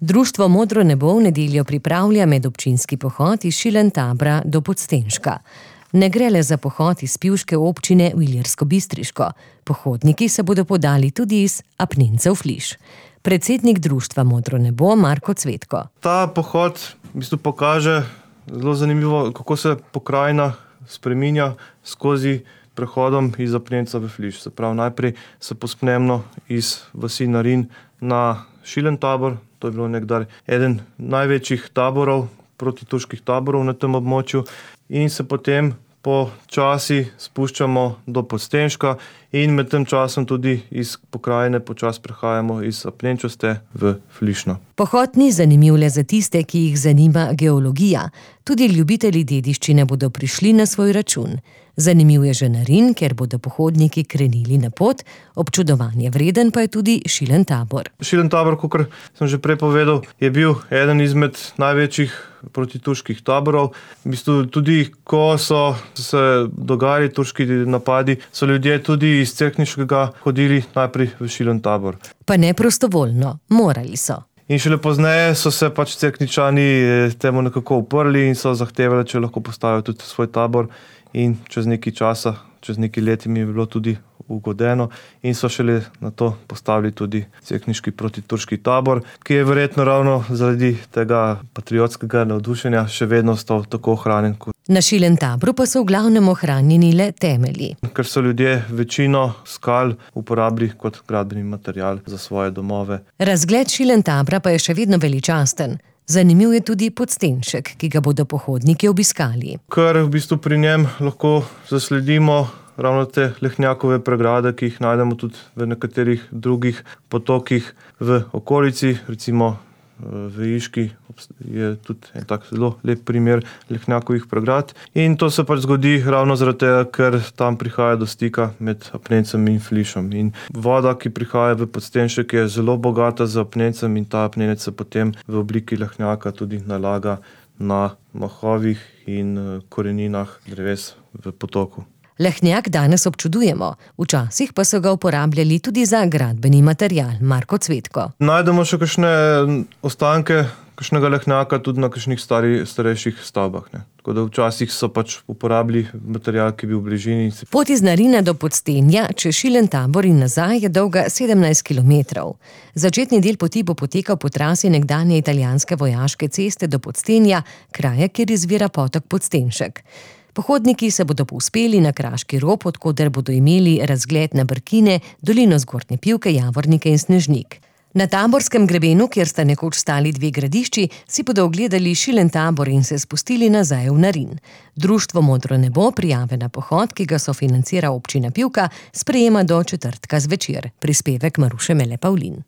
Društvo Modro nebo v nedeljo pripravlja medobčinski pohod iz Šilentabra do Podstenška. Ne gre le za pohod iz pivške občine v Ilirsko-Bistriško. Pohodniki se bodo podali tudi iz Apnencev Fliš. Predsednik društva Modro nebo Marko Cvetko. Ta pohod v bistvu pokaže zelo zanimivo, kako se pokrajina spreminja skozi prehodom iz Apnencev v Fliš. Se pravi, najprej se pospnemo iz vasi Narin na Šilentabor. To je bilo nekdaj eden največjih taborov, protiturških taborov na tem območju, in se potem počasi spuščamo do Podstenška in med tem časom tudi iz pokrajine počasi prehajamo iz Apnenčaste v Flišno. Pohod ni zanimiv le za tiste, ki jih zanima geologija. Tudi ljubitelji dediščine bodo prišli na svoj račun. Zanimiv je že Narin, ker bodo pohodniki krenili na pot, občudovanje vreden pa je tudi Šilentabor. Šilentabor, kakor sem že prej povedal, je bil eden izmed največjih protiturških taborov. V bistvu tudi, ko so se dogajali turški napadi, so ljudje tudi iz Cerkniškega hodili najprej v Šilentabor. Pa ne prostovoljno, morali so. In šele pozneje so se Cerkničani temu nekako uprli in so zahtevali, če lahko postavijo tudi svoj tabor. In čez nekaj časa, čez nekaj let mi je bilo tudi ugodeno in so šele na to postavili tudi cerkniški protiturški tabor, ki je verjetno ravno zaradi tega patriotskega navdušenja še vedno ostal tako ohranjen. Na Šilentabru pa so v glavnem ohranjeni le temelji. Ker so ljudje večino skal uporabili kot gradbeni material za svoje domove. Razgled Šilentabra pa je še vedno veličasten. Zanimiv je tudi Podstenšek, ki ga bodo pohodniki obiskali. Ker v bistvu pri njem lahko zasledimo ravno te lehnjakove pregrade, ki jih najdemo tudi v nekaterih drugih potokih v okolici, recimo v Iški je tudi en tak zelo lep primer lehnjakovih pregrad. In to se zgodi ravno zaradi tega, ker tam prihaja do stika med Apnencem in Flišom. In voda, ki prihaja v Podstenšek, je zelo bogata z Apnencem in ta Apnenec se potem v obliki lehnjaka tudi nalaga na mahovih in koreninah dreves v potoku. Lehnjak danes občudujemo, včasih pa so ga uporabljali tudi za gradbeni material. Marko Cvetko. Najdemo še kakšne ostanke kakšnega lehnjaka tudi na kakšnih starejših stavbah. Tako da včasih so uporabili material, ki je bil v bližini. Pot iz Narina do Podstenja čez Šilentabor in nazaj je dolga 17 kilometrov. Začetni del poti bo potekal po trasi nekdanje italijanske vojaške ceste do Podstenja, kraja, kjer izvira potok Podstenšek. Pohodniki se bodo povzpeli na Kraški rob, od koder bodo imeli razgled na Brkine, dolino Zgornje Pivke, Javornike in Snežnik. Na Taborskem grebenu, kjer sta nekoč stali dve gradišči, si bodo ogledali Šilentabor in se spustili nazaj v Narin. Društvo Modro nebo prijave na pohod, ki ga sofinancira občina Pivka, sprejema do četrtka zvečer. Prispevek Maruše Mele Pavlin.